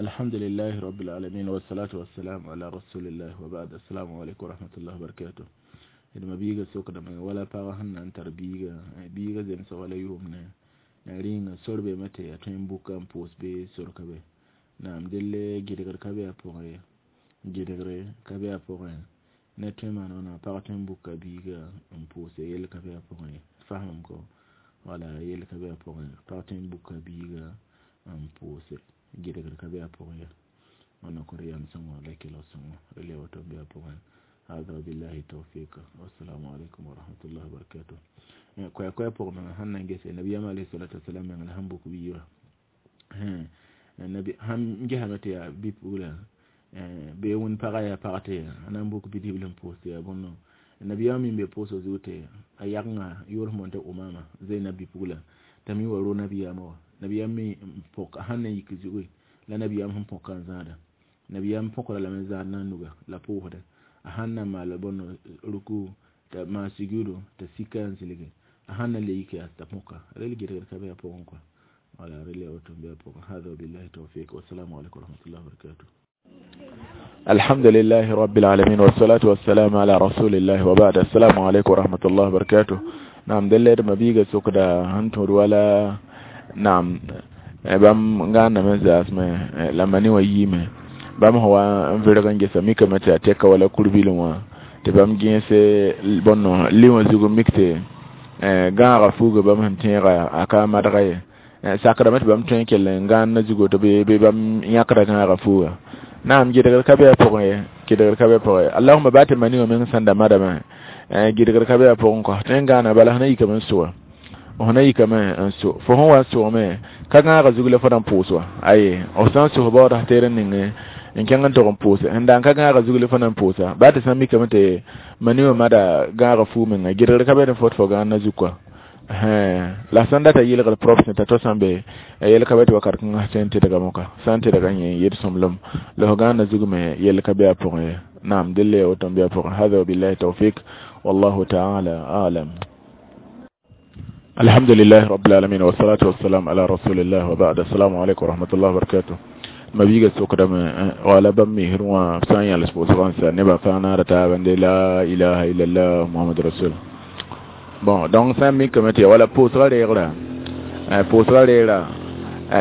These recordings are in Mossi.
Alhamdulillahi rabbil alamin, wassalatu wassalamu ala rasulillah, wa ba'd. Assalamu alaikum wa rahmatullahi wa barakatuh. D ma biiga sokdame wala pagã sẽn na n tar biiga, biiga zemsg wala yʋʋmdẽ rĩnga sor beeme tɩ ya tõe n buka n pʋʋs bee sor ka be. Naam, delle gɩdgr ka be a pʋgẽ ye, gɩdgre ka be a pʋgẽ. Ne tõe maan wãna, pag tõe n buka biiga n pʋʋse, yell ka be a pʋgẽ ye. Fasem ko wala yell ka be a pʋgẽ, pag tõe n buka biiga n pʋʋse, gɩdgr ka be a pʋgẽ ye. Wẽnna kõ d yam sõngo la kelg sõngo rel ya woto n be a pʋgẽ. Hada billahi tawfiq, wassalamu alaikum wa rahmatullahi wa barakatuh. Koɛɛ koɛɛ pʋgẽ menga sẽn na n gese nabiyaam alayhi salatu wasalam meng la sẽn buk biiba, nabi sãn gesame tɩ yaa bi-pugla bee wẽnd pagã yaa pag tɩ a na n buk bidibl n pʋʋs tɩ yaa bõn nabiyaam mi n be pʋʋsg zug tɩ a yagengã yʋʋr sẽn boond tɩ Umama Zainab bi-pugla t'a mi wa ro nabiyaamã wã. Nabiyaam mi n põk a sãn na n yik zugu la nabiyaam sẽn põka n zãada, nabiyaam põkra lame n zãad na nuga la pʋʋsdɛ a sãn na n maal bõn ruku t'a maan sujuudu t'a sika n zilge, a sãn na n le yik yaa t'a põka rel gɩdgr ka be a pʋgẽ kɔa. Wala rel yaa woto n be a pʋgẽ. Hada billahi tawfiq, wassalamu alaikum warahmatullahi wabarakatuh. Alhamdulillahi rabbil alamin, wassalatu wassalamu ala rasulillahi, wa ba'd. Assalamu alaikum warahmatullahi wabarakatuh. Naam, delle d mabiiga sokda sẽn tõd wala naam bãmb gãandame zaasme la mani wã yiime bãmb sẽn wa n vɩrg n gesa mikame tɩ a tɛka wala kur-bilẽ wã tɩ bãmb gẽese bõn li wã zug n mik tɩ gãaga fuuga bãmb sẽn tẽega a ka madga ye, sakdame tɩ bãmb tõe n kell n gãand zugo tɩ bɩ bãmb yãkda gãaga fuuga. Naam, gɩdgr ka be a pʋgẽ ye, gɩdgr ka be a pʋgẽ. Allahuma baa tɩ mani wã meng sẽn da madame, gɩdgr ka be a pʋgẽ kɔ. Tõe n gãana bala sẽn na yikame n sʋa, f na yikame n so fo sẽn wa n sʋgme ka gãaga zug la fo na n pʋʋs wa aye. F sã n sos baood teer n ning n kẽng n tog n pʋʋse sẽn da n ka gãaga zug la fo na n pʋʋsa baa tɩ sã n mikame tɩ mani wã mada gãaga fuu menga, gɩdgr ka be ne fo tɩ fo gãand zug kɔa. La sãn data yɩlgr propsẽ t'a to sã n be yel ka be tɩ wakat kãngã sẽn tɩdga moka sã n tɩdga yẽ yed sõmblem la f gãanda zug me yell ka be a pʋgẽ ye. Naam, delle ya woto n be a pʋgẽ. Hada wabillahi tawfik, wallahu taala alam. Alhamdulillahi rabbil alamin, wassalatu wassalam ala rasulillah, wa ba'd. Assalamu alaikum wa rahmatullahi wa barakatuh. Ma biiga sokdame wala bãmb misr wã sã n yãls pʋʋsgã n sa nebã fãa naara taaba n de la ilaha illallah muhammad rasul. Bon, donc sã n mikame tɩ wala pʋʋsgã reegra, pʋʋsgã reera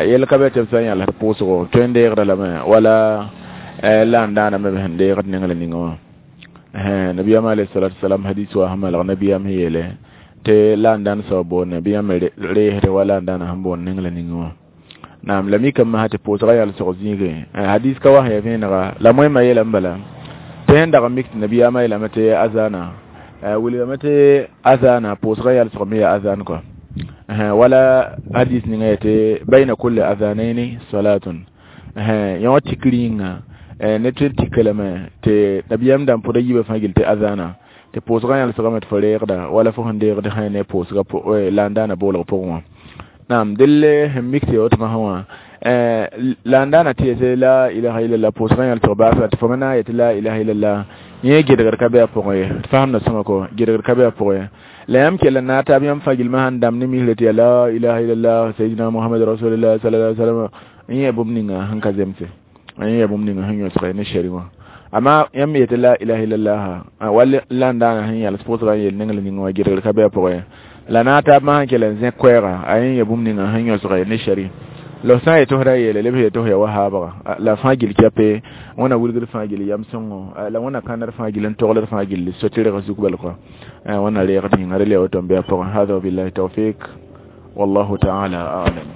yell ka be tɩ b sã n yãls pʋʋsgo tõe n deegda lame wala la n daana me sẽn deegd ning la ninga wã. Nabiyaam alayhi salatu wasalam hadis wa sẽn malg nabiyaam sẽn yeele tɩ la n dãn soab boonde bɩ yãmb reesd wala n dãna sẽn boond ning la ninga wã. Naam, la mikame masã tɩ pʋʋsgã yalsg zĩigẽ hadis ka wa sẽn ya vẽenega la moẽmã yeelame bala tɩ sẽn dag n mik tɩ nabiyaamã yeelame tɩ azana wilgame tɩ azana pʋʋsgã yalsg me yaa azan kɔa. Wala hadis ninga yetɩ bayna kulli azanaini salatun yã wã tikr yĩnga ne tõe n tika lame tɩ nabiyaam dãmb pʋda yiibã fãa gill tɩ azana tɩ pʋʋsgã yãlsgame tɩ fo reegda wala fo sẽn deegd sã ne pʋʋsga la n daana boolg pʋgẽ wã. Naam, delle sẽn mik tɩ ya woto masã wã la n daana tɩ yetɩ la ilaha illallah pʋʋsgã yãlsg baasga tɩ fo me na n yetɩ la ilaha illallah yẽ gɩdgr ka be a pʋgẽ ye. Tɩ fasemda sõma kɔ gɩdgr ka be a pʋgẽ ye. La yãmb kell n naag taab yãmb fãa gilmã sãn dãmb ne misrã tɩ yaa la ilaha illallah sayidina muhammad rasulillah sallallahu alaihi wasallam n yẽ bũmb ninga sẽn ka zemse, n yẽ bũmb ninga sẽn yõsg ne shɛri wã. Amma yãmb yetɩ la ilaha illallah wall la n daana sẽn yãls pʋʋsgã n yel ning la ninga wã gɩdgr ka be a pʋgẽ ye. La naag taab masã kell n zẽk koɛɛga a yẽ ya bũmb ninga sẽn yõsg ne shɛri la f sã n yetɩ f ra yeele leb yetɩ f ya wa haabga la fãa gill kɛpe wẽna wilgd fãa gill yam sõngo la wẽna kãndr fãa gill n togld fãa gill so-tɩrg zug bal kɔ wẽna reegd yĩnga rel ya woto n be a pʋgẽ. Hada wabillahi tawfik, wallahu taala alam.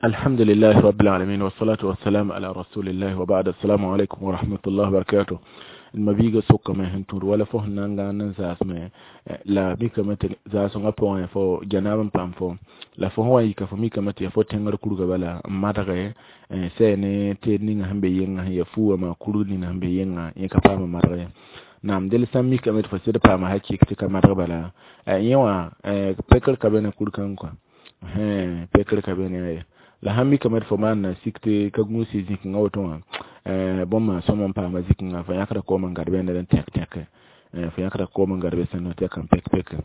Alhamdulillahi rabbil alamin, wassalatu wassalamu ala rasulillahi, wa ba'd. Assalamu alaikum wa rahmatullahi wa barakatuh. Ma biiga sokame sẽn tũud wala fo sẽn na n gãand n zaasme la mikame tɩ zaasengã pʋgẽ fo janaab n paam fo la fo sẽn wa n yika fo mikame tɩ yaa fo tẽngr kurga bala n madge sɛ ne teed ninga sẽn be yẽnga sẽn ya fu wã maa kurg ninga sẽn be yẽnga yẽ ka paam n madg ye. Naam, del sã n mikame tɩ fo sɩd paama hakɩk tɩ ka madg bala yẽ wã pekr ka be ne kur-kãng kɔa, pekr ka be ne ye. La sãn mikame tɩ fo maan na sik tɩ ka gũusi zĩkengã woto wã bõmba sõm n paama zĩkengã fo yãkda koom n gad be ned n tẽk tẽke, fo yãkda koom n gad be sẽn tɛk n pek peke.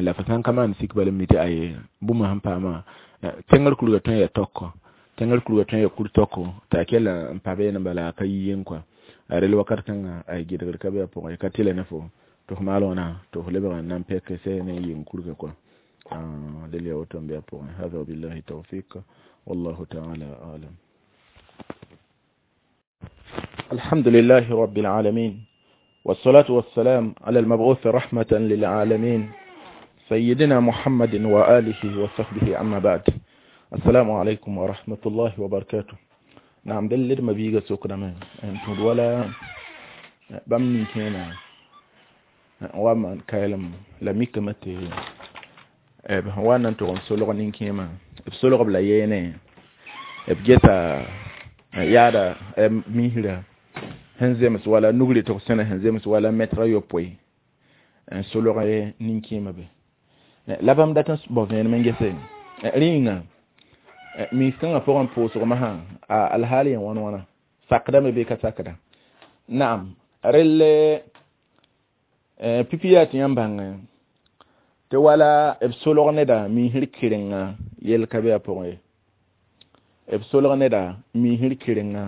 La fo sãn ka maan sik bala n mi tɩ aye bũmb sẽn paamã tẽngr kurga tõe n yaa tɔkɔ. Tẽngr kurga tõe n yaa kur-tɔko t'a kella n pa beene bala a ka yi yeng kɔa a rel wakat kãngã a gɩdgr ka be a pʋgẽ ka tɩlɛ ne fo tɩ f maal wãna tɩ f lebg n na n pɛk sɛ ne yeng kurga kɔa del ya woto n be a pʋgẽ. Hada wabillahi tawfiq wallahu taala alam. الحمد لله رب العالمين والصلاة والسلام على المبعوث رحمة للعالمين سيدنا محمد وآله وصحبه أما بعد. السلام عليكم ورحمة الله وبركاته. نعم دل ما بيجا سكنا من أنتم ولا بمن كنا وما كلام لم يكمت وانا أنتم سلوك نكيما بسلوك بلا يني بجتا يادا ميهلا هنزمس ولا نغلي تقسنا هنزمس ولا متر يوبوي سلوك نكيما به la bãmb dat n bao vẽenem n gese rĩnga miis-kãngã pʋgẽ pʋʋsg masã a alhaal yẽ wãn wãna sakdame bee ka sakda naam rell pipi yaa tɩ yãmb bãngẽ tɩ wala b solg neda miisr kɩrenga yell ka be a pʋgẽ ye b solg neda miisr kɩrenga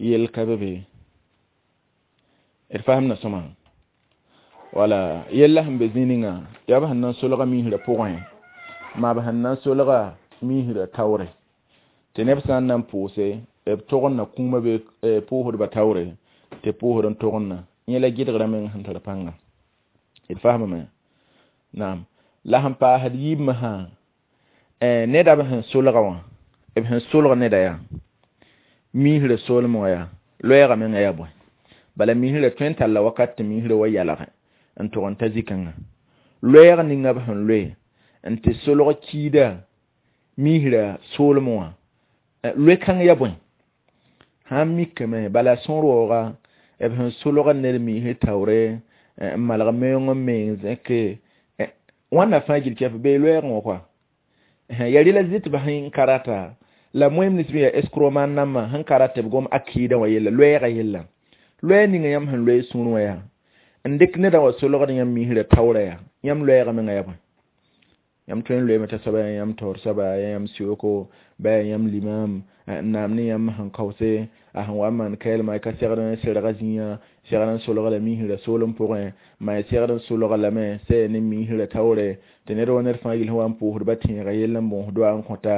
yell ka be be d fasemda sõma wala yella sẽn be zĩ ninga yaa b sẽn na n solga miisrã pʋgẽ maa b sẽn na n solga miisrã taoore tɩ neb sã n na n pʋʋse b togenda kũumã be pʋʋsdbã taoore tɩ pʋʋsd n togenda yẽ la gɩdgrã meng sẽn tar pãnga d fasemame naam la sẽn paasd yiibmã sã neda b sẽn solga wã b sẽn solg neda yaa miisrã soolem wã yaa loɛɛgã menga yaa bõe bala miisrã tõe n talla wakat tɩ miisrã wa yalgẽ n tʋg n ta zĩ-kãngã loɛɛg ninga b sẽn loe n tɩ solg kiida miisrã soolem wã loe-kãng yaa bõe sãn mikame bala sõor waooga b sẽn solga ned miisr taoore n malg meoong n meng zẽke wãnna fãa gil kɛf bee loɛɛgẽ wã koa ya rɩla zɩ tɩ b sẽn ka rata la moem nins bɩ yaa escro maan nambã sẽn ka rat tɩ b gom akɩɩdã wã yella loɛɛgã yella loɛɛ ninga yãmb sẽn loe sũur wã yaa n dɩk nedã wa solgd yãmb miisrã taoorã yaa yãmb loɛɛgã menga yaa bõe yãmb tõe n loeeme t'a soaba yaa yãmb taoor soaba yaa yãmb sioko ba yaa yãmb limam n naam ne yãmb sẽn kaoose a sẽn wa n maan kaelma ka segd n serga zĩiga segd n solga la miisrã soolem pʋgẽ maa segd n solga lame sɛ ne miisrã taoore tɩ ned wa ned fãa yel sẽn wa n pʋʋsdba tẽegã yell n bõos doa n kõta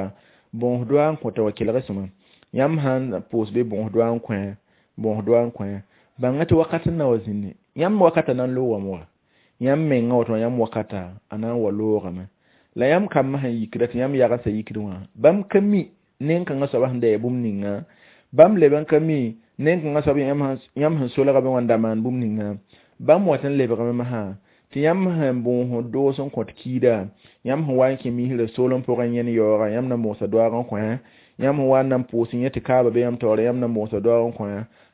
bõos doa n kõta wa kelg sõma yãmb sãn pʋʋs bɩ bõos doa n kõ bõos doa n kõ bãnga tɩ wakat n na wa zĩnne yãmb wakata na n loogame wa yãmb menga woto yãmb wakata a na n wa loogame la yãmb kambã sẽn yikda tɩ yãmb yagensa yikd wã bãmb ka mi nen-kãngã soaba sẽn da yaa bũmb ninga bãmb leb n ka mi nen-kãngã soab yãmb sẽn solgame wã n da maan bũmb ninga bãmb wat n lebgame masã tɩ yãmb sẽn bõos doos n kõt kiida yãmb sẽn wa n kẽ miisrã soolem pʋgẽ yẽn yaooga yãmb na n bõosa doaag n kõ yãmb sẽn wa n na n pʋʋs yẽ tɩ kaaba be yãmb taoore yãmb na n bõosa doaag n kõ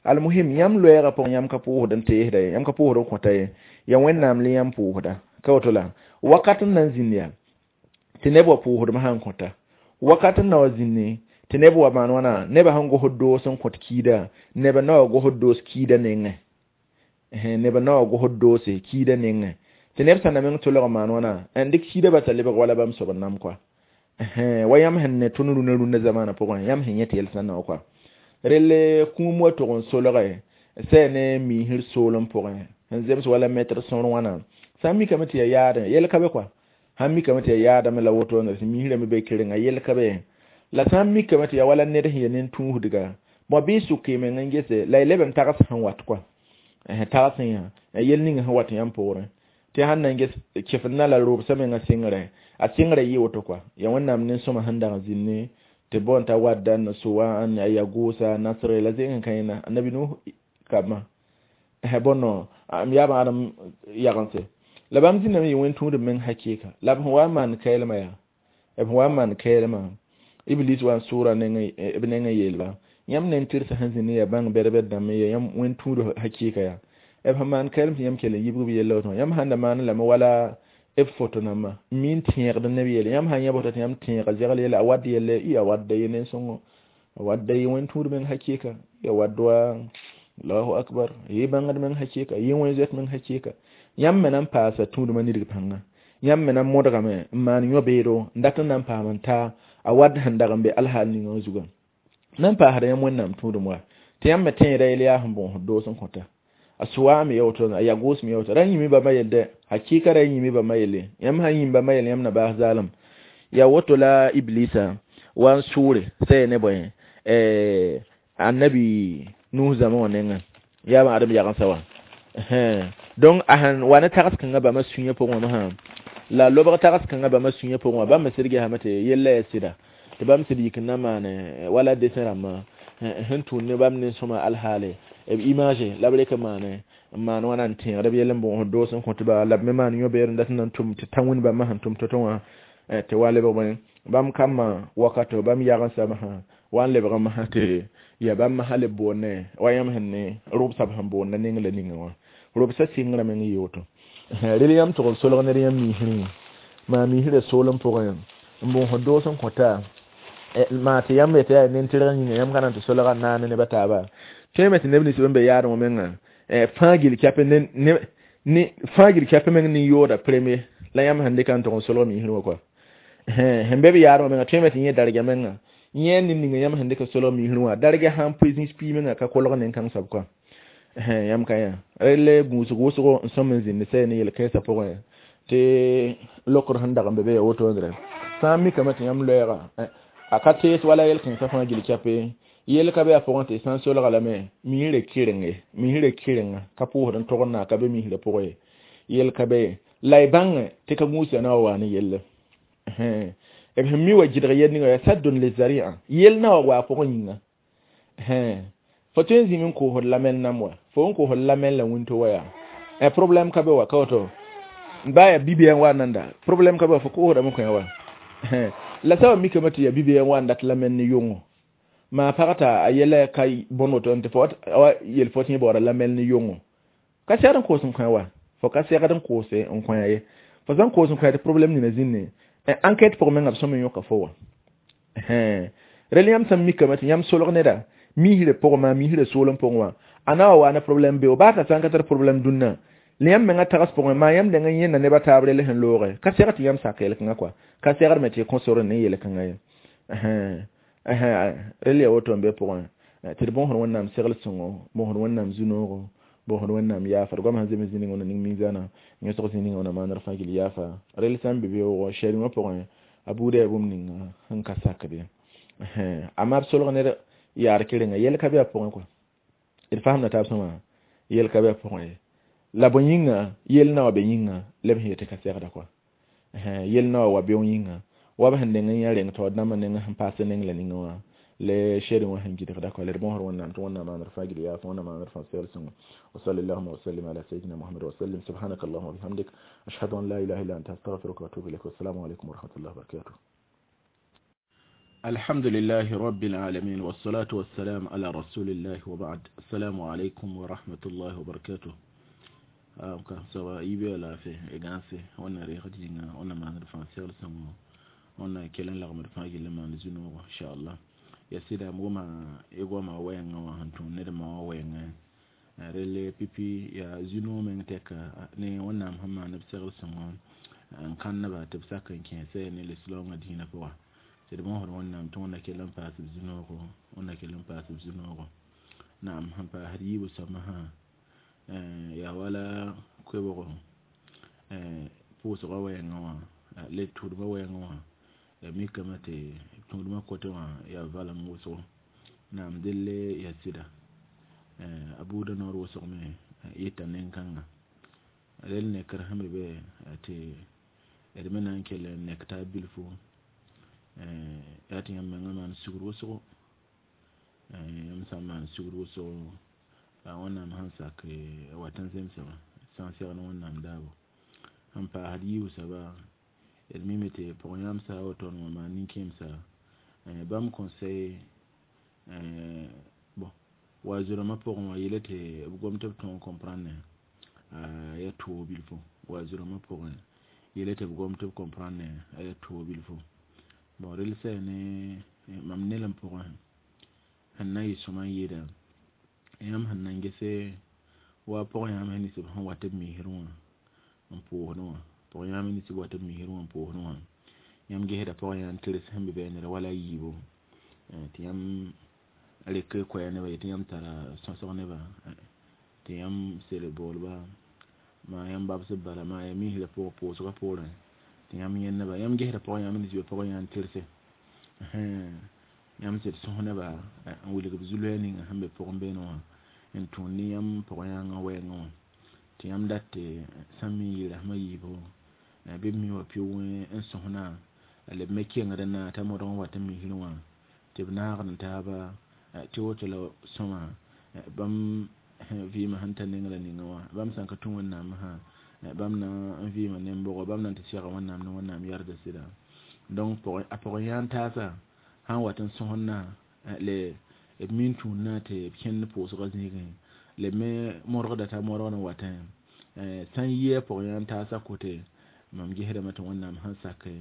almuhim yãmb loɛɛgã pʋgẽ yãmb ka pʋʋsd n teesda ye yãmb ka pʋʋsd n kõta ye yaa Wẽnnaam le yãmb pʋʋsda ka woto la wakat n na n zĩnd yaa tɩ neb wa pʋʋsdmã sãn kõta wakat n na wa zĩnne tɩ neb wa maan wãna nebã sẽn gosd doos n kõt kiida nebã na wa gosd doos kiida nengẽ nebã na wa gosd doose kiida nengẽ tɩ neb sã na meng tolg n maan wãna n dɩk kiida basa lebg wala bãmb soab n nam koa wa yãmb sẽn ne tõnd rũnã rũnã zamaanã pʋgẽ yãmb sẽn yẽ tɩ yɛl sã na wa koa relle kũum wa tʋg n solge sɛ ne miisr soolem pʋgẽ sẽn zems wala mɛtr sõor wãna sã n mikame tɩ yaa yaadẽ yɛl ka be koa sãn mikame tɩ yaa yaadame la woto tɩ miisrame be kerenga yɛl ka be la sã n mikame tɩ yaa wala ned sẽn ya nen-tũusdga bõ bɩ sʋk y meng n gese la y leb n tags sẽn wat koa tags yã yel ning sẽn wat yãmb poorẽ tɩ sãn na n ges kɩfd na la robsã menga sɩngrẽ a sɩngrã yɩ woto koa yaa Wẽnnaam nen-sõma sẽn dag n zĩnne tɩ bõn t'a wadda n soa n ya gʋʋsa nasre la zẽng n ka yẽna annabi Nuh kabmã bõn m yaab Adem yagense la bãmb zĩndame yɩ wẽn-tũudb meng hakɩɩka la b sẽn wa n maan kaelmã yaa b sẽn wa n maan kaelmã Iblis wa n sʋʋra b nengẽ yeelba yãmb nen-tɩrsã sẽn zĩnd n yaa bãng bɛd-bɛd dãmb n yaa yãmb wẽn-tũud hakɩɩka yaa b sẽn maan kaelm tɩ yãmb kell n yibg b yella woto yãmb sãn da maan lame wala b foto nambã mi n tẽegd neb yelle yãmb sãn yã bota tɩ yãmb tẽega zegl yella a wad yelle y a wadda ye nen-sõngo a wadda yɩ wẽn-tũud meng hakɩɩka ya wad wa Allahu akbar yɩ bãngd meng hakɩɩka yɩ wẽn-zoet meng hakɩɩka yãmb me na n paasa tũudmã nidg pãnga yãmb me na n modgame n maan yõ-beedo n dat n na n paam n ta A wat sẽn dag n be alhaal ninga wã zugã nan paasda yãmb Wẽnnaam tũudem wa tɩ yãmb me tẽeda yel yaa sẽn bõosd doos n kõta a sʋwaame ya woto a yagʋʋsme ya woto ra yĩme bãmba yell dɛ hakɩɩka ra yĩme bãmba yelle yãmb sã n yĩm bãmba yelle yãmb na baas zaalem ya woto la iblisa wa n sʋʋre sɛ ne bõe annabi Nuh zãma wã nengẽ yaa bã adem yagensã wã donc a sẽn wa ne tags kãngã bãmba sũyã pʋgẽ wã masã la lobg tags kãngã bãmba sũyã pʋgẽ wã bãmb me sɩd gesame tɩ yella ya sɩda tɩ bãmb sɩd yik n na maane wala desẽ rãmbã sẽn tũud ne bãmb nin-sõma alhaale b image la b rek n maane n maan wãna n tẽegd b yell n bõosd doos n kõt ba la b me maan yõ-beood n dat n na n tʋm tɩ tã wĩnd bãmba sẽn tʋm to-to wã tɩ wa lebg bõe bãmb kambã wakato bãmb yagensã masã wa n lebg n masã tɩ ya bãmb masã leb boonne wa yãmb sẽn ne rʋbsã b sẽn boonda ning la ninga wã rʋbsã sɩngrã meng n yɩ woto rel yãmb tʋg n solg ned yãmb miisrẽ maa miisrã soolem pʋgẽ n bõosd doos n kõta maa tɩ yãmb yetɩ yaa nin-tɩrg yĩnga yãmb ka na n tɩ solga n naane neb a taaba tõeme tɩ neb nins bãmb be yaadẽ wã menga fãa gil kɛpẽ ne fãa gil kɛpẽ meng nin-yooda premier la yãmb sẽn dɩka n tʋg n solg miisrẽ wã kɔa sẽn be b yaadẽ wã menga tõeme tɩ yẽ darga menga yẽ ne ninga yãmb sẽn dɩk n solg miisrẽ wã darga sã n pʋɩ zĩis pii menga ka kolg nin-kãng soab kɔa yãmb ka yã relle gũusg wʋsgo n sõm n zĩnd sɛ ne yel-kɛɛsã pʋgẽ tɩ lokr sẽn dag n be be ya wotondrɛ sã n mikame tɩ yãmb loɛɛga a ka tees wala yel-kẽensã fãa gil kɛpe yel ka be a pʋgẽ tɩ sã n solga lame miisrã kɩrenge miisrã kɩrenga ka pʋʋsd n togd na ka be miisrã pʋgẽ ye yel ka be la y bãngẽ tɩ ka gũusã na wa waa ne yelle b sẽn mi wa gɩdg yel ninga yaa saddun lizaria yel na wa waa pʋgẽ yĩnga fo tõe n zĩm n koosd lamɛl nam wa fo n koosd lamɛl la wĩnto wa yaa problème ka be wa ka woto ba ya bibiya n wa nanda problème ka be wa fo koosdame kõ wa la sã wa mikame tɩ ya bibiya n wa n dat lamɛl ne yʋngo maa pag t'a a yɛla ka bõn woto n tɩ fo wa yel fo tɩ yẽ baooda lamɛl ne yʋngo ka segd n koos n kõ wa fo ka segd n koose n kõ ye fo sã n koos n kõ tɩ problème nina zĩnne enquête pʋgẽ menga b sõm n yõka fo wa rel yãmb sã n mikame tɩ yãmb solg neda miisrã pʋgẽ maa miisrã soolem pʋgẽ wã a na wa waa ne problème beo baa t'a sã n ka tar problème dũnna la yãmb menga tags pʋgẽ maa yãmb deng n yẽnda neb a taab rel sẽn looge ka segd tɩ yãmb sak yel-kãngã kɔa ka segd me tɩ kõ sor ne yel-kãngã ye rel ya woto n be pʋgẽ tɩ d bõosd Wẽnnaam segl sõngo bõosd Wẽnnaam zu-noogo bõosd Wẽnnaam yaafa d goam sẽn zems zĩ ning ning minzãna yõsg zĩ ninga wã maanr fãa gil yaafa rel sã n be beoogo shɛrẽ wã pʋgẽ a buuda yaa bũmb ninga sẽn ka sakd ye amma b solg ned yaar kɩrenga yɛl ka be a pʋgẽ kɔa d fasemda taab sõma yɛl ka be a pʋgẽ ye la bõe yĩnga yel na wa be yĩnga la b sẽn yetɩ ka segda kɔa yel na wa wa beoog yĩnga wa b sẽn deng n yã reng taood dãmbã neng sẽn paas neng la ninga wã le shɛrẽ wã sẽn gɩdgda kɔa la d bõosd Wẽnnaam tɩ Wẽnnaam maanr fãa gil yaaf Wẽnnaam maanr fãa segl sõngo وصلى اللهم وسلم على سيدنا محمد وسلم سبحانك اللهم وبحمدك أشهد أن لا إله إلا أنت أستغفرك وأتوب إليك والسلام عليكم ورحمة الله وبركاته. الحمد لله رب العالمين والصلاة والسلام على رسول الله وبعد السلام عليكم ورحمة الله وبركاته. سواء يبي لا في إغانسي وانا ريخ دينا وانا ما نرفع سير سمو وانا كلن لغم رفع لما نزنو إن شاء الله يا سيدا موما يقوم وين وهنتون ندم وين rele pipi ya zino meng tɛka ne Wẽnnaam sẽn maan b segl sõngo n kãn-neba tɩ b sak n kẽesɛ ne lislaoongã dĩinã pʋga tɩ d bõosd Wẽnnaam tɩ Wẽnna kell n paas b zu-noogo Wẽnna kell n paas b zu-noogo naam sẽn paasd yiibu soab masã yaa wala koɛbgo pʋʋsgã wɛɛngã wã le tʋʋdmã wɛɛngã wã ya mikame tɩ tũudmã kotẽ wã yaa valem wʋsgo naam delle ya sɩda a buudã noor wʋsgme yɩta nen-kãnga rel nekr sẽn b be tɩ d me na n kell n nek taab bilfu yaa tɩ yãmb mengã maan sugr wʋsgo yãmb sã n maan sugr wʋsgo Wẽnnaam sẽn sak wat n zemsã wã sã n segl Wẽnnaam daabo sẽn paasd yiibu soaba d mime tɩ pʋg-yãmsã a woto wã maan nin-kẽemsa bãmb conseil bon wa zurãmbã pʋgẽ wã yele tɩ b gom tɩ b tõog n comprendre ya toog bilfu wa zurãmbã pʋgẽ yele tɩ b gom tɩ b comprendre ya toog bilfu bon rel sɛ ne mam nelem pʋgẽ sẽn na n yɩ sõma n yeeda yãmb sẽn na n gese wa pʋg-yãmb nins b sẽn wat b miisrẽ wã n pʋʋsdẽ wã pʋg-yãmb nins b wat b miisrẽ wã n pʋʋsdẽ wã Yãmb gesda pʋgẽ n tɩrs sẽn be bɛɛnera wala a yiibu tɩ yãmb rek koɛɛg nebã yetɩ yãmb tara sõsg nebã tɩ yãmb sel boolba maa yãmb babsb bala maa ya misrã pʋgẽ pʋʋsgã poorẽ tɩ yãmb yẽnd nebã yãmb gesda pʋgẽ yãmb n zĩ pʋgẽ yã n tɩrse yãmb sed sõs nebã n wilg b zu-loɛɛg ninga sẽn be pʋgẽ beene wã n tũud ne yãmb pʋg-yãangã wɛɛngẽ wã tɩ yãmb dat tɩ sã n mi n yɩ rasem a yiibu bɩ b mi wa pɩʋʋgẽ n sõsna la b me kengd n na t'a modg n wat n misrẽ wã tɩ b naagd n taaba tɩ woto la sõma bãmb vɩɩmã sẽn ta neng la ninga wã bãmb sã n ka tũ wẽnnaam sã bãmb na n vɩɩma nem-bʋgɔ bãmb na n tɩ sega wẽnnaam ne wẽnnaam yardã sɩda donc a pʋgẽ yãan taasa sãn wat n sõsd-na le b min tũudna tɩ b kẽnd pʋʋsgã zĩigẽ la b me modgda t'a modgd n watẽ sã n yi a pʋgẽ yãan taasã kote mam gesdame tɩ wẽnnaam sẽn sake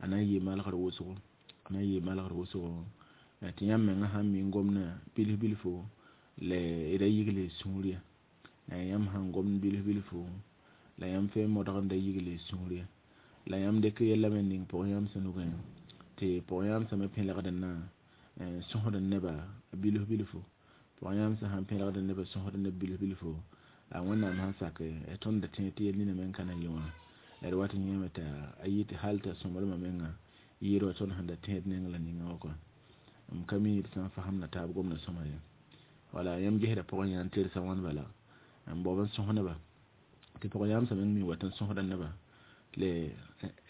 a na n yɩɩ malgr wʋsgo a na n yɩɩ malgr wʋsgo tɩ yãmb mengã sãn mi n gomdã bilf bilfo la d ra yigl y sũur ye yãmb sãn gomd bilf bilfo la yãmb tõe n modg n da yigl y sũur ye la yãmb dɩk yɛla me ning pʋg-yãamsã nugẽ tɩ pʋg-yãamsã me pẽlgd n na n sõsd neba bilf bilfo pʋg-yãamsã sãn pẽlgd neba sõsd neb bilf bilfo a wẽnnaam sãn sake tõnd da tẽeg tɩ yel nina me n ka na yɩ wã d wat n yẽeme t'a yɩ tɩ hal t'a sõmblmã menga yɩɩd wa tõnd sẽn da tẽed neng la ninga wã kɔa m ka mi d sã n fasemda taab gomda sõma ye wala yãmb gesda pʋgẽ yã n tɩrsa wãn bala n bao n sõs neba tɩ pʋg-yãamsã meng mi wat n sõsda neba le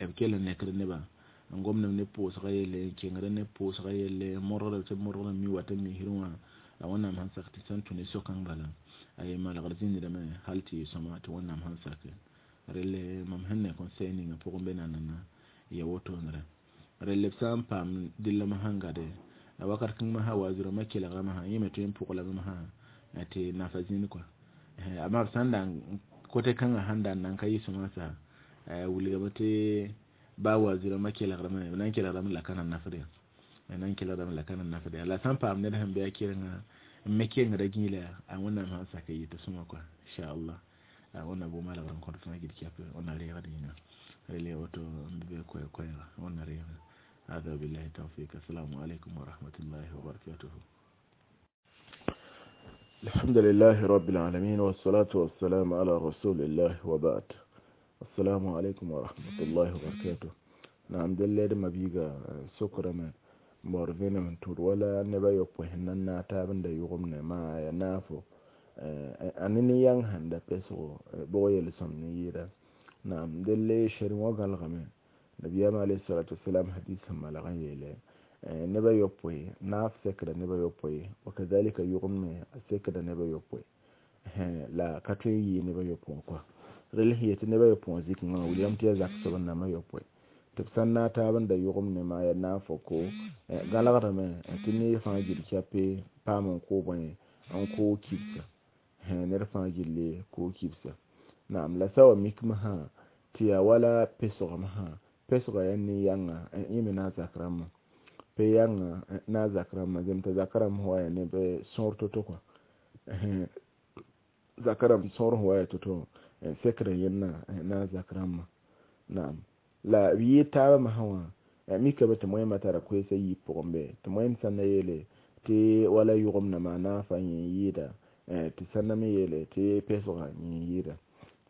b kell n nekd neba n gomd ne pʋʋsga yelle n kengd ne pʋʋsga yelle n modgd tɩ b modgd n mi wat n misrẽ wã la wẽnnaam sãn sak tɩ sẽn tũ ne so-kãng bala a ye malgr zĩndame hal tɩ yɩ sõma tɩ wẽnnaam sãn sake relle mam sẽn ne conseil ninga pʋgẽ be nanana ya wotone relle b sã n paam dɩlla sãn gade a wakat kãng masã wa zurãmbã kelgrame sã yẽ me tõe n pʋglame masã tɩ nafa zĩnd kɔa amma b sã n da kote kãngã sãn da n nan ka yɩ sõma sa wilgame tɩ baa wa zurãmbã kelgrame b na n kelgrame la ka na nafd ya na n kelgrame la ka na nafd ya la sã n paam ned sẽn be a kerenga n me kengda gĩila a wẽnnaam sãn sak n yɩ tɩ sõma kɔa inchallah wẽnna bʋ malgr n kõt fãa gil kɛpɛ wẽnna reegd yĩnga rele woto n be koɛɛg koɛɛga wẽnna reega هذا بالله التوفيق. السلام عليكم ورحمة الله وبركاته. الحمد لله رب العالمين والصلاة والسلام على رسول الله وبعد. السلام عليكم ورحمة الله وبركاته. نعم دل ما بيجا سكر ما مورفين من تور ولا نبا يوبه ننا تابن دا يغمنا ما ينافو أنني yang handa peso boye lisam ni yira. نعم دل شروا غالغمه نبيام عليه الصلاة والسلام حديث ما لغن نبا يوبوي ناف سكر نبا يوبوي وكذلك يغمي سكر نبا يوبوي لا كتوي نبا يوبوي كوا رل هي نبا يوبوي زيك ما وليام تيا زاك سبنا ما يوبوي تبسنا تابن دا يغمي ما ينافو كو غالغرمه تني فاجل كابي بامن كو بني ان كو كيبسا نير فاجل كو كيبسا. نعم لا سوا ميكمها تيا ولا بيسوغمها pesga ya ne yãnga yẽ me na a zak rãmbã pe yãnga na a zak rãmbã zem t'a zak rãmb wa ya ne bɩ sõor to-to kɔa zak rãmb sõor sẽn wa ya to-to sekrã yẽnna na a zak rãmbã. Naam la b yɩɩ taabã masã wã mikame tɩ moẽmã tara koeesã yiib pʋgẽ be tɩ moẽm sã na yeele tɩ wala yʋgemdã maa naafa yẽ yɩɩda tɩ sã na me yeele tɩ pesgã yẽ yɩɩda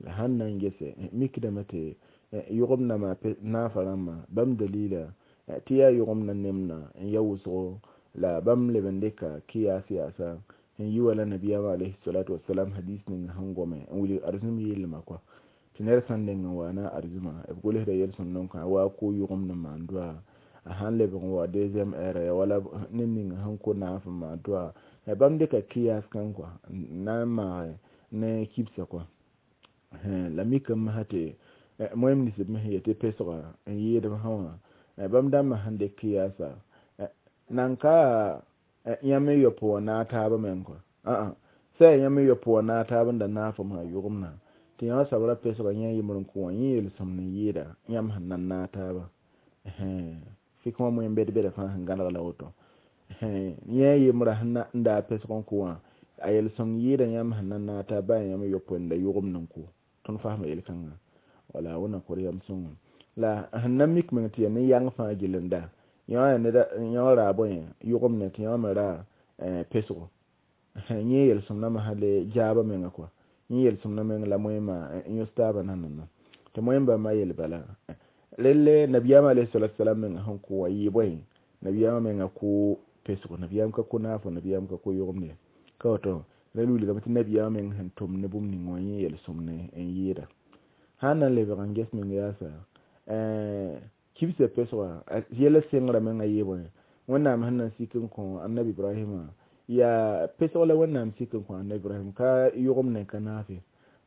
la sãn na n gese mikdame tɩ yʋgemdã maa naafa rãmbã bãmb dalila tɩ yaa yʋgemdã nemdã n ya wʋsgo la bãmb leb n dɩka kɩyaas yaasa n yi wala nabiyaamã alayhi salatu wasalam hadis ning sẽn gome n wilg arzũm yeellmã kɔa tɩ ned sãn deng n waana arzũmã b gʋlsda yel-sõmd n kõ wa ko yʋgemd n maan doa a sãn lebg n wa deuxième heure ya wala ned ning sẽn ko naaf n maan doa bãmb dɩka kɩyaas kãng kɔa n na n maage ne kibsã kɔa la mikame masã tɩ moẽm nisb me sẽn yetɩ pesga n yɩɩdb sã wã bãmb dãmbã sẽn dɩk kɩyaasa nan ka yãmb n yop wã naag taabã meng kɔa sã yaa yãmb n yop wã naag taab n da naafem sã yʋgemdã tɩ yã wã sabra pesga yẽ yembr n kõ wã yẽ yel-sõmd n yɩɩda yãmb sẽn nan naag taabã fɩk wã moẽm bed-bɛda fãa sẽn gãlg la woto yẽ yembrã sẽn n daa pesg n kõ wã a yel-sõmd yɩɩda yãmb sẽn nan naag taab baa yãmb n yop n da yʋgemd n kõ tõnd fasma yel-kãngã wala wẽnna kor yam sõngo La sẽn na mik meng tɩ yaa ne yãng fãa gilenda yõ raa bõe yʋgemne tɩ yõ me raa pesgo yẽ yel-sõmdã masã le jaabã menga kɔa yẽ yel-sõmdã meng la moẽmã yõs taabã nanana tɩ moẽm bãmba yel bala relle nabiyaamã alayhi salatu wasalam menga sẽn kʋ wã yɩ bõe nabiyaamã menga kʋ pesgo nabiyaam ka kʋ naafo nabiyaam ka kʋ yʋgemne ka woto la wilgame tɩ nabiyaamã meng sẽn tʋm ne bũmb ning wã yẽ yel-sõmne n yɩɩda sã n na n lebg n ges meng yaasa kibsã pesgã yɛla sengrã menga yɩ bõe wẽnnaam sẽn na n sik n kõ annabi ibrahima yaa pesg la wẽnnaam sik n kõ annabi ibrahim ka yʋgemne ka naafe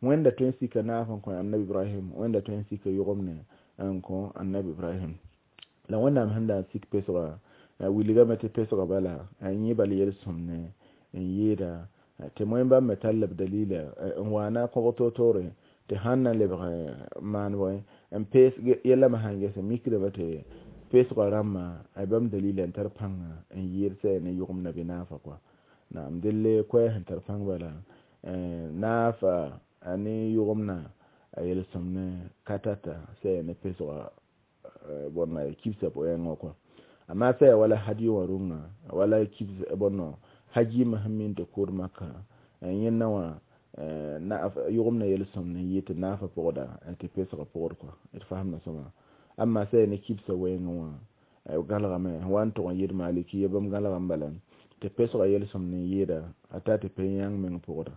wẽnda tõe n sika naaf n kõ annabi ibrahim wẽnda tõe n sika yʋgemne n kõ annabi ibrahim la wẽnnaam sẽn da n sik pesgã wilgame tɩ pesgã bala yẽ bal yel-sõmne n yɩɩda tɩ moẽ bãmb me tall b dalila n waana kõg toor-toore tɩ sãn na lebg maan bõe n pees yɛla me sãn ges mikdame tɩ pesgã rãmbã bãmb dalila n tar pãnga n yɩɩd sã ne yʋgemda bɩ naafa kɔa naam delle koɛɛ sẽn tar pãng bala naafa a ne yʋgemna a yel-sõmne ka tata sã ne pesgã bõnna kibsã wɛɛngã kɔa amma sã ya wala hadi wã rũngã wala kibs bõnno hajima sẽn min tɩ kʋʋd maka yẽnna wã yʋgemna yel-sõmne yɩ tɩ naafa pʋgda tɩ pesgã pʋgd kɔa d fasemda sõma amma sã ya ne kibsã wɛɛngã wã gãlgame wa n tʋg n yɩɩd malikiya bãmb gãlgame bala tɩ pesgã yel-sõmne n yɩɩda a ta tɩ pe yãng meng pʋgda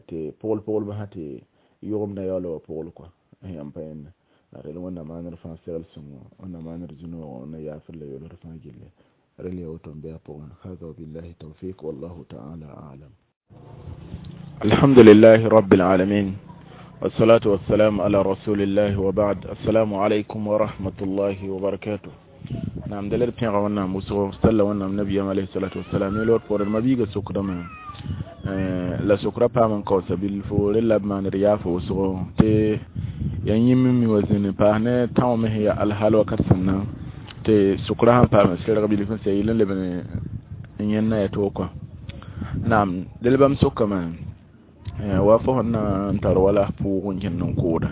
tɩ pʋgl-pʋglbã sã tɩ yʋgemda yaool wa pʋgl kɔa yãmb pa yẽnda la rel wẽnnaam maanr fãa segl sõngo wẽnnaam maanr zũ-noogã na yaafr la yolsd fãa gilli rel ya woto n bɩ a pʋgẽ hada wabillahi tawfiq wallahu ta'ala a'lam. Alhamdulillahi rabbil alamin wassalatu wassalamu ala rasulillahi wa ba'd. Assalamu alaikum wa rahmatullahi wa barakatuh. Naam dalar pẽga wẽnnaam wʋsgo salla wẽnnaam nabiyaam alayhi salatu wassalam yẽ loor poorẽ mabiiga sokdame la sokra paam n kaoosa bilfo rel la b maaned yaafo wʋsgo tɩ yaa yĩm n mi wa zĩni paas ne tão me sẽn yaa alhaal wakat sẽn na tɩ sokra sãn paam n serg bilf n sɛ yɩl n leb n yẽnna yaa toog kɔa naam del bãmb sokame wa fo sẽn na n tar wala pʋʋg n kẽnd n kooda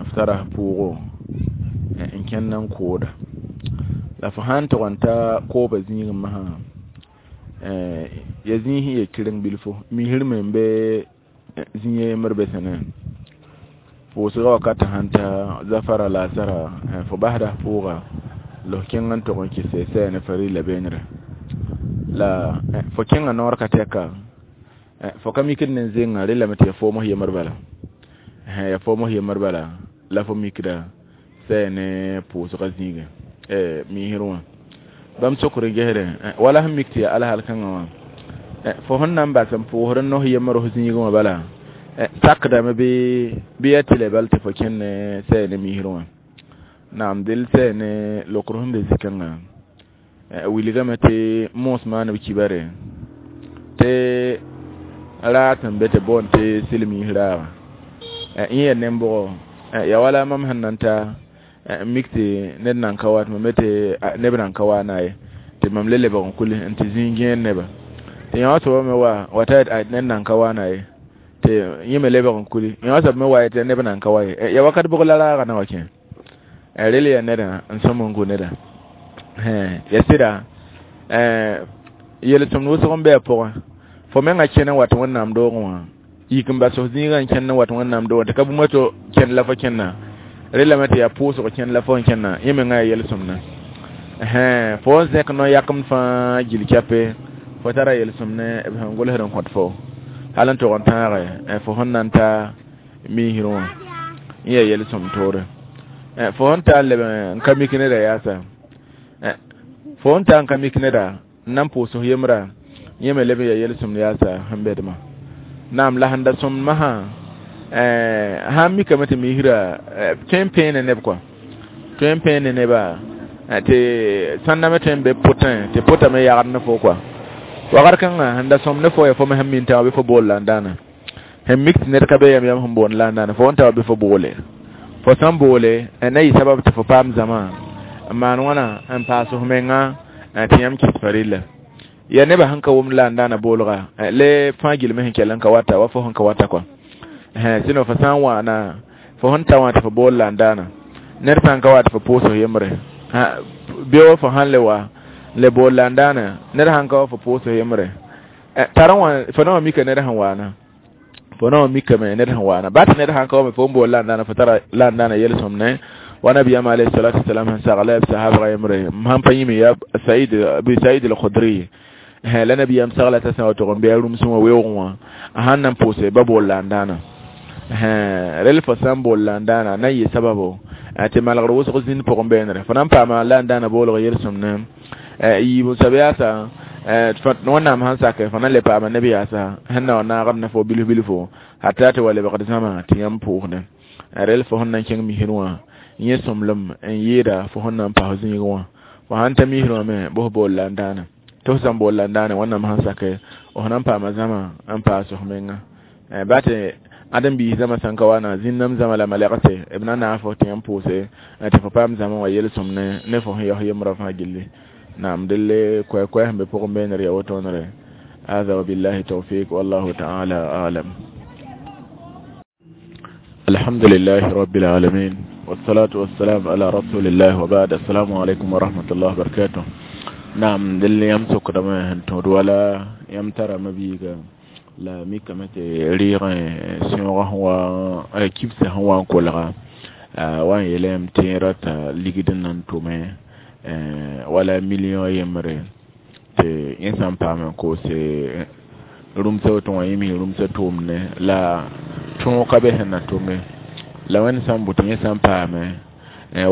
f tara pʋʋgo n kẽnd n kooda la fo sãn tʋg n ta kooba zĩigẽ masã ya zĩig sẽn ya kɩreng bilfo misr me n be zĩ a yembr be sẽne pʋʋsgã wakat sãn ta zafara laasara fo basda pʋʋga la f kẽng n tʋg n kɩs sɛ ne farila beenre la fo kẽngã noor ka tɛka fo ka mikd ne zenga relame tɩ ya foom yembr bala ya foom yembr bala la fo mikda sɛ ne pʋʋsgã zĩigẽ misr wã bãmb sokr n gesre wala sẽn mik tɩ yaa alhal kãngã wã fo sẽn na n bas n pʋʋsd n nos yembr f zĩigẽ wã bala sakdame bɩ yaa tɩ la bal tɩ fo kẽnd ne sɛ ne misr wã naam del sɛ ne lokr sẽn be zĩ-kãngã wilgame tɩ moos maan b kibare tɩ raat sẽn be tɩ boond tɩ silmiis raagã yẽ yaa nen-bʋgɔ yaa wala mam sẽn na n ta mik tɩ ned nan ka wa tɩ mam tɩ neb nan ka wa na ye tɩ mam le lebg n kuli n tɩ zĩig gẽed neba tɩ yõ soaba me wa t'a ned nan ka wa na ye tɩ yẽ me lebg n kuli yõ soab me wa ye tɩ neb nan ka wa ye ya wakat bʋg la raagã na wa kẽ rel yaa nedã n sõm n gu neda ya sɩda yel-sõmd wʋsg n be a pʋgẽ fo mengã kẽn n wat wẽnnaam doogẽ wã yik n bas f zĩigã n kẽnd n wat wẽnnaam doogẽ tɩ ka bũmb to kẽnd la fo kẽnna relame tɩ yaa pʋʋsg kẽnd la fo n kẽnna yẽ mengã yaa yel-sõmdã fo n zẽk no-yakemd fãa gil kɛpe fo tara yel-sõmne b sẽn gʋlsd n kõt fo hal n tʋg n tãage fo sẽn na n ta misr wã yẽ yaa yel-sõmd toore fo sẽn ta n leb n ka mik neda yaasa fo sẽn ta n ka mik neda n na n pʋʋs f yembra yẽ me leb n yaa yel-sõmd yaasa sẽn bedmã naam la sẽn da sõmd masã sãn mikame tɩ misrã tõe n pẽene neb kɔa tõe n pẽene neba tɩ sãnda me tõe n be pʋtẽ tɩ pʋtame yagd ne fo kɔa wakat kãngã sẽn da sõmd ne fo ya fo me sẽn min tã bɩ fo bool la n dãana sẽn mik tɩ ned ka be yam yam sẽn boond la n dãana fo sẽn ta bɩ fo boole fo sãn boole na yɩ sabab tɩ fo paam zãma n maan wãna n paas f menga tɩ yãmb kɩs farila ya nebã sẽn ka wʋmd la n dãana boolga le fãa gilme sẽn kell n ka wata wa fo sẽn ka wata kɔa sɩno fo sã n wãana fo sẽn ta wã tɩ fo bool la n dãana Ned sã n ka wa tɩ fo pʋʋs yembre beo fo sãn le wa le bool la n daana ned sãn ka wa fo pʋʋs yembre tar wã fo na wã mika ned sẽn waana fo na wã mikame ned sẽn waana ba tɩ ned sãn ka wa me fo n bool la n daana fo tara la n daana yel-sõmne wa nabiyam alayhi salatu wasalam sẽn sagla b sahabga yembre m sãn pa yĩme ya Said Abi Said al-Khudri la nabiyam sagla t'a sã wa tʋg n bɩ a rũmsẽ wã weoogẽ wã a sãn na n pʋʋse ba bool la n daana rel fo sã n bool la n daana na n yɩ sababo tɩ malgr wʋsg zĩnd pʋgẽ beenre fo na n paama la n daana boolg yel-sõmne yiib n soab yaasa wẽnnaam sãn sake fo na n le paama neb yaasa sẽn na wa naagd ne fo bilf bilfo hata tɩ wa lebgd zãma tɩ yãmb pʋʋsdẽ rel fo sẽn na n kẽng misr wã yẽ sõmblem n yɩɩda fo sẽn na n pas zĩig wã fo sãn ta misr wã me bos bool la n daana tɩ f sã n bool la n daana wẽnnaam sãn sake f na n paama zãma n paas f menga ba tɩ ãdem biis zãma sãn ka wana zĩnnam zãma la malɛgse b na naag fo tɩ yãmb pʋʋse tɩ fo paam zãma wã yel-sõmne ne fo sẽn yaos yembrã fãa gilli naam delle koɛ-koɛ sẽn be pʋgẽ beenr ya wotoonre هذا وبالله التوفيق والله تعالى أعلم. الحمد لله رب العالمين والصلاة والسلام على رسول الله وبعد. السلام عليكم ورحمة الله وبركاته. نعم دل يمسك دم تود ولا يمتر مبيغا la mikame tɩ rɩɩgẽ sẽoogã wa kibsã sẽn wa n kolga wa n yeelame tɩ rata ligd n na n tʋme wala million yembre tɩ yẽ sã n paam n koose rũmsã woto wã yẽ mi rũmsã tʋʋmne la tõog ka be sẽn na tʋme la wẽnd sã n bʋ tɩ yẽ sã n paame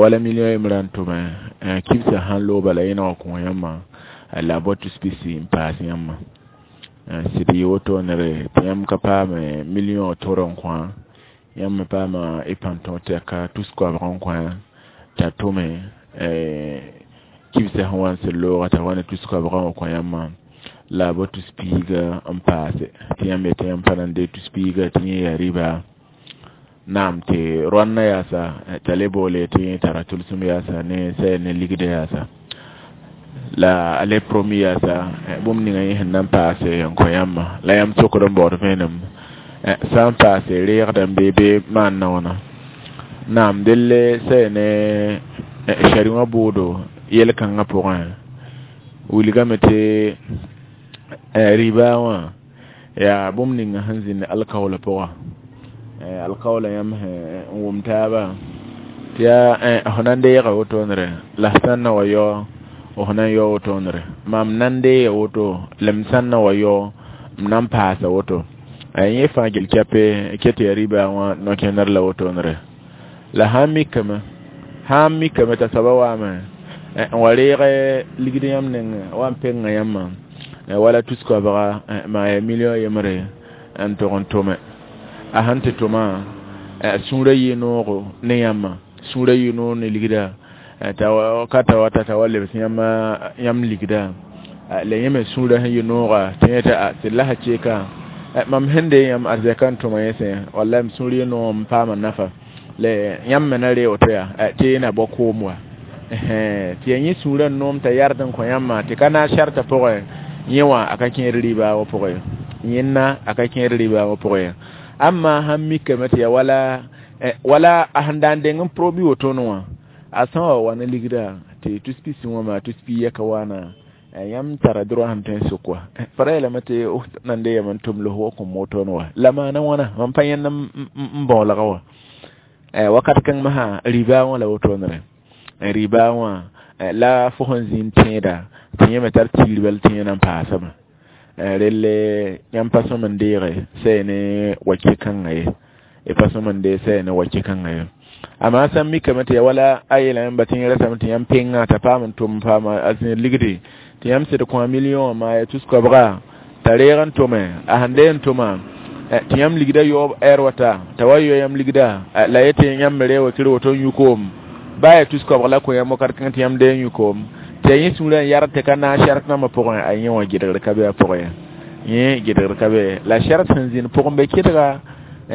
wala million yembrã n tʋme kibsã sãn looba la yẽ na wa kõ yãmbã la b wa tus pisi n paas yãmbã sɩd yɩ wotoonere tɩ yãmb ka paame million tʋr n kõ yãmb me paama y pãn-tõog tɛka tus koabg n kõ t'a tʋme kibsã sẽn wa n sɩd looga t'a wa ne tus koabgã wã kõ yãmbã la b tus piiga n paase tɩ yãmb yetɩ yãmb pa na n dee tus piiga tɩ yẽ yaa rɩba naam tɩ rõannã yaasa t'a le boole tɩ yẽ tara tʋlsem yaasa ne sɛ ne ligdã yaasa la a le promis yaasa bũmb ninga yẽ sẽn na n paase n kõ yãmbã la yãmb sokd n baood vẽenem sã n paase reegda n bee bee maan na wãna naam delle sɛ ne shari wã bʋʋdo yel-kãngã pʋgẽ wilgame tɩ rɩba wã yaa bũmb ninga sẽn zĩnd alkaoola pʋga alkaoola yãmb sẽn n wʋm taaba tɩ yaa fo na n deega wotoonre la f sã n na wa yao f na n yao wotoonre mam na n deega woto la m sã n na wa yao m na n paasa woto yẽ fãa gil kɛpe ket yaa rɩba wã no-kẽnder la wotoonre la sãn mikame t'a soaba waame n wa reeg ligd yãmb nengẽ wa n pengã yãmbã wala tus koabga maa yaa million yembre n tʋg n tʋme a sãn tɩ tʋma sũurã yɩ noogo ne yãmbã sũurã yɩ noog ne ligda ka ta wata t'a wa lebs yãmb ligda la yẽ me sũurã sẽn yɩ nooga tɩ yẽ t'a sɩd la sã keeka mam sẽn dee yãmb arzɛka n tʋma yẽ sẽ walla m sũur yɩ noog n paama nafa la yãmb me na ree woto yaa tɩ yẽ na bao koom wa tɩ yaa yẽ sũurã n noom t'a yard n kõ yãmbã tɩ ka naag shartã pʋgẽ yẽ wã a ka kẽer rɩba wã pʋgẽ yẽnna a ka kẽer rɩba wã pʋgẽ amma sãn mikame tɩ yaa wala a sẽn da n deng n probi wotone wã a sã wa wa ne ligda tɩ tus pisi wã maa tus piiya ka waana yãmb tara droit sẽn tõe n sok wa fo ra yeelame tɩ nan de yam n tʋm los wa kõ wotone wa la maana wãna mam pa yẽnd n bãoolga wa wakat kãng masã rɩba wã la wotoonre rɩba wã la fo sẽn zĩnd tẽeda tɩ yẽ me tar tigr bal tɩ yẽ na n paasame relle yãmb pa sõm n deege sɛ ne wake kãngã ye y pa sõm n deeg sɛ ne wake kãngã ye amma sã n mikame tɩ ya wala a yeelame yãmba tɩ yẽ rasame tɩ yãmb pengã t'a paam n tʋm paama a zĩnd ligdi tɩ yãmb sɩd kõ a million maa ya tus koabga t'a reeg n tʋme a sẽn dee n tʋma tɩ yãmb ligda yaoob ɛɛr wata t'a wa yao yãmb ligda la yetɩ yãmb me reeg wa kɩr woto n yũ koom ba ya tus koabg la kõ yãmb wakat kãng tɩ yãmb dee n yũ koom tɩ yaa yẽ sũurã n yard tɩ ka naag sɛrt nambã pʋgẽ a yẽ wã gɩdgr ka be a pʋgẽ yẽ gɩdgr ka be la sɛrt sẽn zĩnd pʋgẽ be kɩdga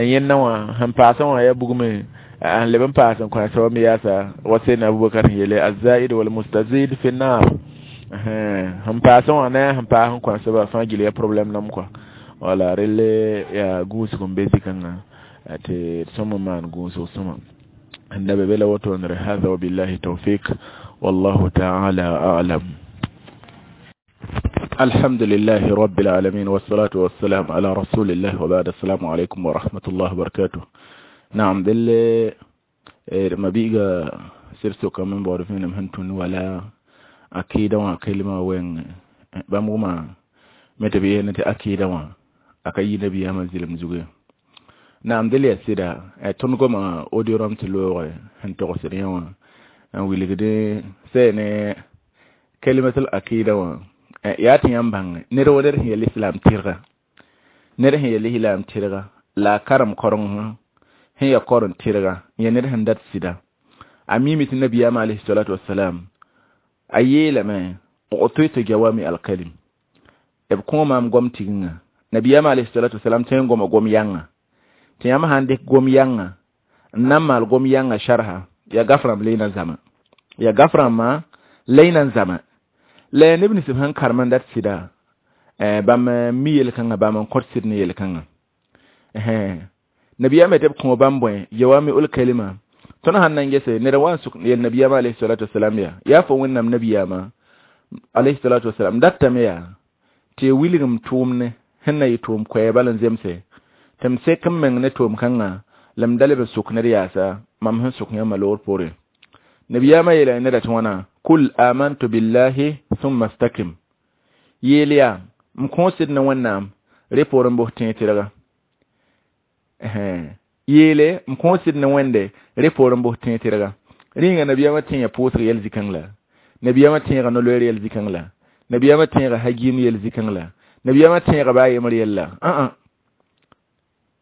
yẽnna wã sẽn paasã wã yaa bugme n leb n paas n kõ a soab me yaasa wa Seydina Abubakar sẽn yeele azaid wal mustazid fi nar sẽn paasã wã ne sẽn paas n kõ a soaba fãa gil yaa problème nam kɔa wala relle yaa gũusg n be zĩ-kãngã tɩ d sõm n maan gũusg sõma. N da be la woto nre. Hada wa billahi tawfiq, wallahu ta'ala a'lam. الحمد لله رب العالمين، والصلاة والسلام على رسول الله، وبعد. السلام عليكم ورحمة الله وبركاته. نعم، دل ما بيجا سيرسو كمان بعرفين مهنتون ولا أكيد وكلمة وين بمغما متبيه نت أكيد و أكيد نبي منزل مزوجة. نعم، دل يسيدا تنقوم أوديورام تلوه هنتقصريا و ويلقده سنة كلمة الأكيد و yaa tɩ yãmb bãng ned wa ned sẽn yel islam tɩrga, ned sẽn yel islam tɩrga la a karem koreng sẽn ya koreng tɩrga ya ned sẽn dat sɩda a miime tɩ nabiyaamã alayhi salatu wasalam a yeelame u'titu jawami alkalim b kõ maam gom tigingã. Nabiyaamã alayhi salatu wasalam tõe n goma gom yãnga tɩ yãmb sãn dɩk gom yãnga n na n maal gom yãnga sharha ya gafrãmb leena zama ya gafrãmbã leena n zama la neb nins sẽn karem n dat sɩda bãmb mi yel-kãngã bãmb n kõt sɩd ne yel-kãngã. Nabiyaamã tɩ b kõ bãmb bõe jawami ul kalima. Tõnd sãn na n gese ned wa n sʋk yel nabiyaamã alayhi salatu wasalam yaa fo Wẽnnaam nabiyaamã alayhi salatu wasalam datame yaa tɩ wilgem tʋʋmne sẽn na yɩ tʋʋm koɛɛ bal n zemse tɩ m sek n meng ne tʋʋm kãngã la m da leb n sʋk ned yaasa mam sẽn sʋk yãmbã loor poorẽ. Nabiyaamã yeela neda tɩ wãna kul amantu billahi thumma stakim yeel yaa m kõ sɩd ne Wẽnnaam re poor n bos tẽeg tɩrga yeele m kõ sɩd ne Wẽnde re poor n bos tẽeg tɩrga rĩnga. Nabiyaamã tẽega pʋʋsg yɛl zĩ-kãng la nabiyaamã tẽega no-loeer yɛl zĩ-kãng la nabiyaamã tẽega hagiim yɛl zĩ-kãng la nabiyaamã tẽega baa yembr yɛlla ã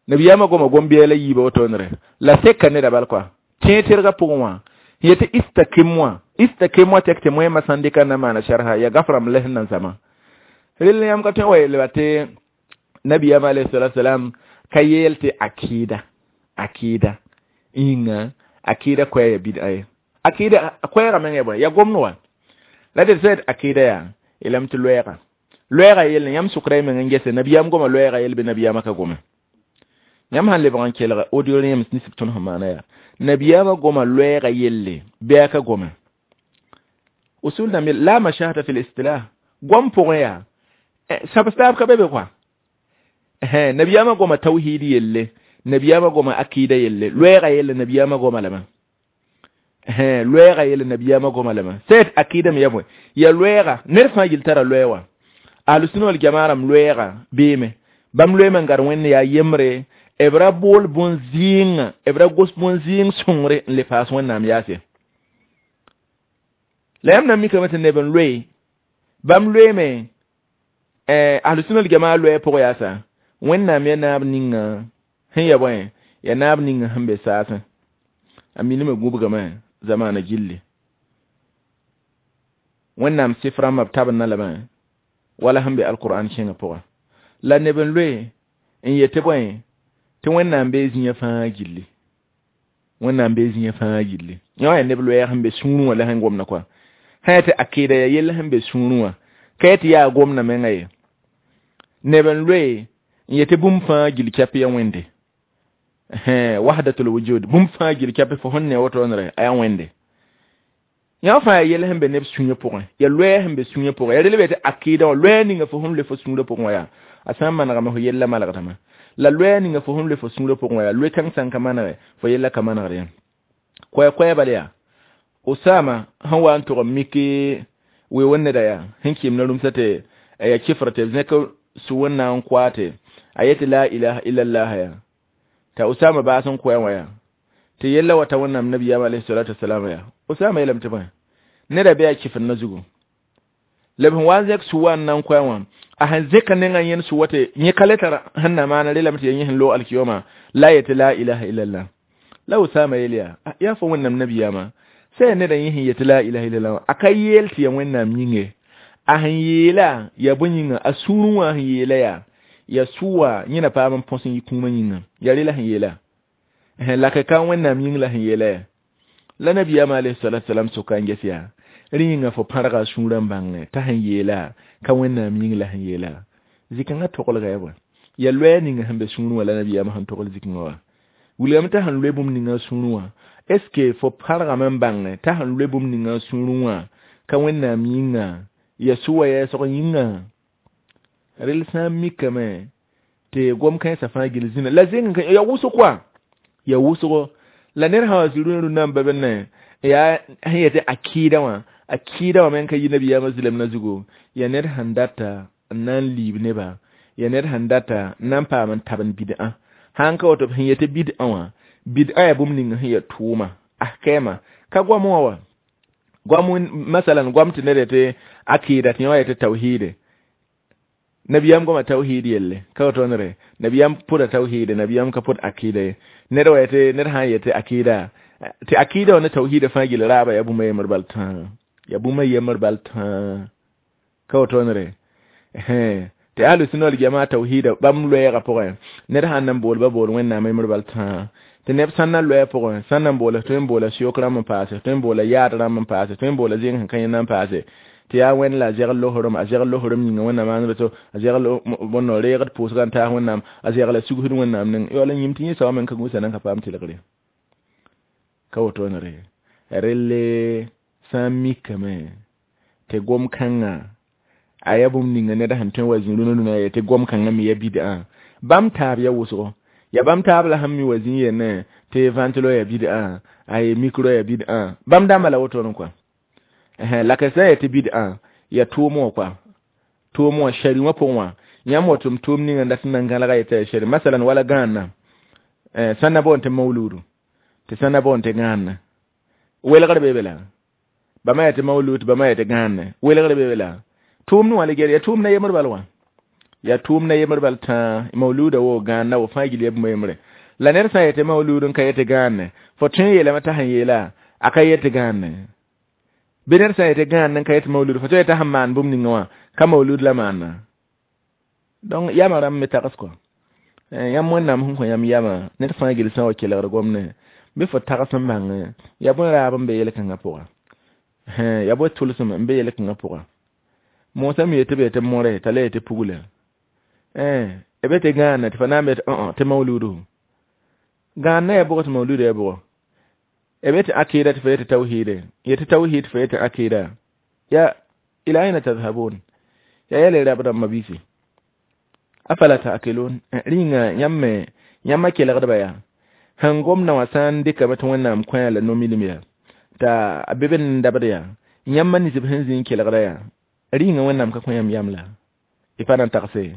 nabiyaamã goma gom-biɛɛla yiiba woto-nere la seka neda bal koa tẽeg tɩrga pʋgẽ wã yetɩ istakim wã istakim wã tek tɩ moẽmã sãn dɩka na maana sharha ya gafrãmb la sẽn na n zama rel yãmb ka tõe wa yeelba tɩ nabiyaamã alayhi salatu wasalam ka yeel tɩ akida akida yĩnga akida koɛɛ ya bid'a ye akida koɛɛga meng ya bõe ya gomd wa la d sẽd akida yaa yeelame tɩ loɛɛga loɛɛga yell yãmb sʋkra y meng n gese nabiyaam goma loɛɛga yell bɩ nabiyaamã ka gome yãmb sãn lebg n kelga audio yãmb nisb tõnd sẽn maana yaa nabiyaamã goma loɛɛga yelle bɩ a ka gome usul dãmb la mashahata fi listilah gom pʋgẽ yaa sabstaab ka be be koa nabiyaamã goma tawhid yelle nabiyaamã goma akida yelle loɛɛga yelle nabiyaamã goma lame loɛɛga yelle nabiyaamã goma lame sẽd akida me ya bõe ya loɛɛga ned fãa gill tara loɛɛ wã ahlusũna wal jamaa rãmb loɛɛga beeme bãmb loeeme n gad Wẽnd yaa yembre b ra bool bõn-zɩɩngã b ra gos bõn-zɩɩng sõngre n le paas Wẽnnaam yaase la yãmb na mikame tɩ neb n loe bãmb loeeme ahlusũna wal jamaa loɛɛ pʋg yaasa Wẽnnaam ya naab ninga sẽn ya bõe ya naab ninga sẽn be saasẽ a minime gũbgame zamaana gilli Wẽnnaam sɩf rãmbã b tabendã lame wala sẽn be alqur'an kẽngã pʋgã la neb n loe n yetɩ bõe tɩ Wẽnnaam bee zĩyã fãa gilli Wẽnnaam bee zĩyã fãa gilli yã wã yaa neb loɛɛg sẽn be sũurẽ wã la sẽn gomda koa sã yaa tɩ akɩɩda ya yell sẽn be sũurẽ wã ka yaa tɩ yaa gomda menga ye neb n loe n yetɩ bũmb fãa gil kɛp ya Wẽnde wahdatul wujud bũmb fãa gil kɛp fo sẽn ne woto-nere a yaa Wẽnde yã fãa yaa yell sẽn be neb sũyã pʋgẽ ya loɛɛ sẽn be sũyã pʋgẽ ya rel be tɩ akɩɩda wã loɛɛ ninga fo sẽn loe fo sũurã pʋgẽ wã yaa a sã n manegame fo yella malgdame la loɛɛ ninga fo sẽn loe fo sũurã pʋgẽ wã yaa loe kãng sã n ka manege fo yella ka manegd yã koɛ-koɛɛ bal yaa Osama sẽn wa n tʋg n mik we wẽnd neda yaa sẽn kɩɩm na rũmsã tɩ ya kɩfr tɩ b zẽk sũ Wẽnnaam n koa tɩ a yetɩ la ilaha illallah yaa t'a Osama baas n koɛ wã yaa tɩ yella wa ta Wẽnnaam nabiyaam alayhi salatu wasalam yaa Osama yeelame tɩ bõe neda bɩ a kɩfr na zugu la b sẽn wa n zẽk sũ wa n na n koɛ wã a sẽn zẽka nengã yẽnd sũ wa tɩ yẽ ka le tar sẽn na maana relame tɩ ya yẽ sẽn loog alkiyoma la yetɩ la ilaha illallah la Osama yeel yaa yaa fo Wẽnnaam nabiyaamã sã neda yẽ sẽn yetɩ la ilaha illallah a ka yeel tɩ ya Wẽnnaam yĩnge a sẽn yeela ya bõe yĩnga a sũurẽ wã sẽn yeela yaa ya sʋwa yẽ na paam n põs n yɩ kũumã yĩnga ya rela sẽn yeela la ka ka Wẽnnaam yĩng la sẽn yeela ya la nabiyaamã alayhi salatu wasalam soka n ges yaa rẽ yĩnga fo pãrga a sũurã n bãngẽ t'a sẽn yeela ka Wẽnnaam yĩng la sẽn yeela zĩ-kãngã toglga ya bõe ya loɛɛ ninga sẽn be sũurẽ wã la nabiyaamã sẽn togl zĩ-kãngã wã Wilgame t'a sẽn loe bũmb ninga sũurẽ wã, est ce que fo pãrgame n bãnge t'a sẽn loe bũmb ninga sũurẽ wã ka Wẽnnaam yĩnga, ya sʋwa yɛɛsg yĩnga? Rel sã n mikame tɩ gom kãensã fãa gill zĩna la zẽng ya wʋsg koa, ya wʋsgo la ned sã wa zĩ rũnã rũnã n ba ne yaa sẽn yetɩ akɩɩda wã, akɩɩda wã me n ka yi nabiyaamã zɩlem na zugu. Ya ned sẽn data n na n liib neba, ya ned sẽn data n na n paam n tabend bidã. Sãn ka woto, sẽn yetɩ bidã wã, bidã yaa bũmb ning sẽn ya tʋʋma ahkɛɛma ka goam wã wa goam. Masalan, goam tɩ ned yetɩ akɩɩda, tɩ yẽ wa yetɩ tawhiide. Nabiyaam goma tawhid yelle ka woto nere, nabiyaam pʋda tawhiide, nabiyaam ka pʋd akɩɩda ye. Ned wa yetɩ, ned sã n yetɩ akɩɩda, tɩ akɩɩda wã ne tawhiida fãa gill raaba yaa bũmb a yembr bal tãa, ya bũmb a yembr bal tãa, ka woto nere. Tɩ ahlu sũna wal jamaa tawhiida bãmb loɛɛgã pʋgẽ, ned sãn na n bool ba bool Wẽnnaam yembr bal tãa. Tɩ neb sãn na loɛɛ pʋgẽ, sãn na n boola, tõe n boola sɩyok rãmb n paase, tõe n boola yaad rãmb n paase, tõe n boola zẽng sẽn ka yẽnda n paase, tɩ yaa Wẽnd la a zegl losorem, a zegl losorem yĩnga Wẽnnaam maand to, a zegl bõn reegd pʋʋsga n taas Wẽnnaam, a zegla sugsd Wẽnnaam ning yaool n yĩm tɩ yẽ soabã me n ka gũsa nan ka paam tɩlgre, ka woto ne. Relle sã n mikame tɩ gom kãngã a yaa bũmb ninga ned sẽn tõe n wa zĩ rũnã rũnã tɩ gom kãngã me ya bidã, bãmb taab ya wʋsgo, ya bãmb taab la sẽn mi wa zĩ yenne tɩ ventilo ya bidã, ay micro ya bidã, bãmb dãmba la wotone kɔa. La ka sã n yetɩ bidã ya tʋʋm wã kɔa, tʋʋm wã shari wã pʋgẽ wã, yãmb wa tʋm tʋʋm ninga n dat n na n gãlga yetɩ ya shari. Masalan, wala gãanna sãn na boond tɩ mauludu, tɩ sãn na boond tɩ gãanna, welgr be la bãmba yetɩ maulud, tɩ bãmba yetɩ gãanne, welgr be la tʋʋm ne wã la ger ya tʋʋm na yembr bal wã, ya tʋʋm na yembr bal tãa. Mauluda wo, gãanna wo, fãa gill ya bũmb yembre. La ned sã n yetɩ maulud n ka yetɩ gãanne, fo tõe n yeelame t'a sẽn yeela a ka yetɩ gãanne. Bɩ ned sã n yetɩ gãanne n ka yetɩ maulud, fo tõe yetɩ sẽn maan bũmb ninga wã ka maulud la maanna. Donc yamã rãmb me tags kɔ yãmb Wẽnnaam sẽn kõ yãmb yamã, ned fãa gill sã n wa kelgd gomne bɩ fo tags n bãng ya bõe raab n be yel-kãngã pʋga, ya bõe tʋlsem n be yel-kãngã pʋga. Moosã me yetɩ b yetɩ mõre t'a la yetɩ pugla b tɩ gãanna, tɩ fa na n be tɩ tɩ mauludu gãanna ya bʋgɔ, tɩ mauludu ya bʋgɔ, b yetɩ akɩɩda, tɩ fa yetɩ tawhiide, yetɩ tawhid fa yetɩ akɩɩda. Ya ila aina tadhhabun ya yɛl rab rãmba biisi, afala ta'qilun? Rĩnga yãmb me yãmba kelgdba yaa sẽn gomdã wã sã n dɩkame tɩ Wẽnnaam kõ la no-milim yaa t'a a be be n dabd yaa yãmba nins b sẽn zĩ n kelgda yaa rĩnga Wẽnnaam ka kõ yãmb yam la y pa na n tagse,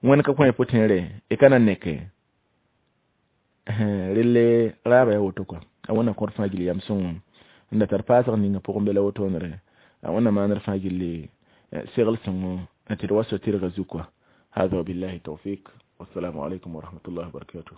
Wẽnd ka kõ y pʋtẽere y ka na n neke. Relle raaba ya woto kɔa. A Wẽnna kõt fãa gill yam sõngo n da tar paasg ninga pʋgẽ be la wotoonere. A Wẽnna maandr fãa gilli segl sõngo tɩ d wa so tɩrga zu kɔa. هذا وبالله التوفيق، والسلام عليكم ورحمة الله وبركاته.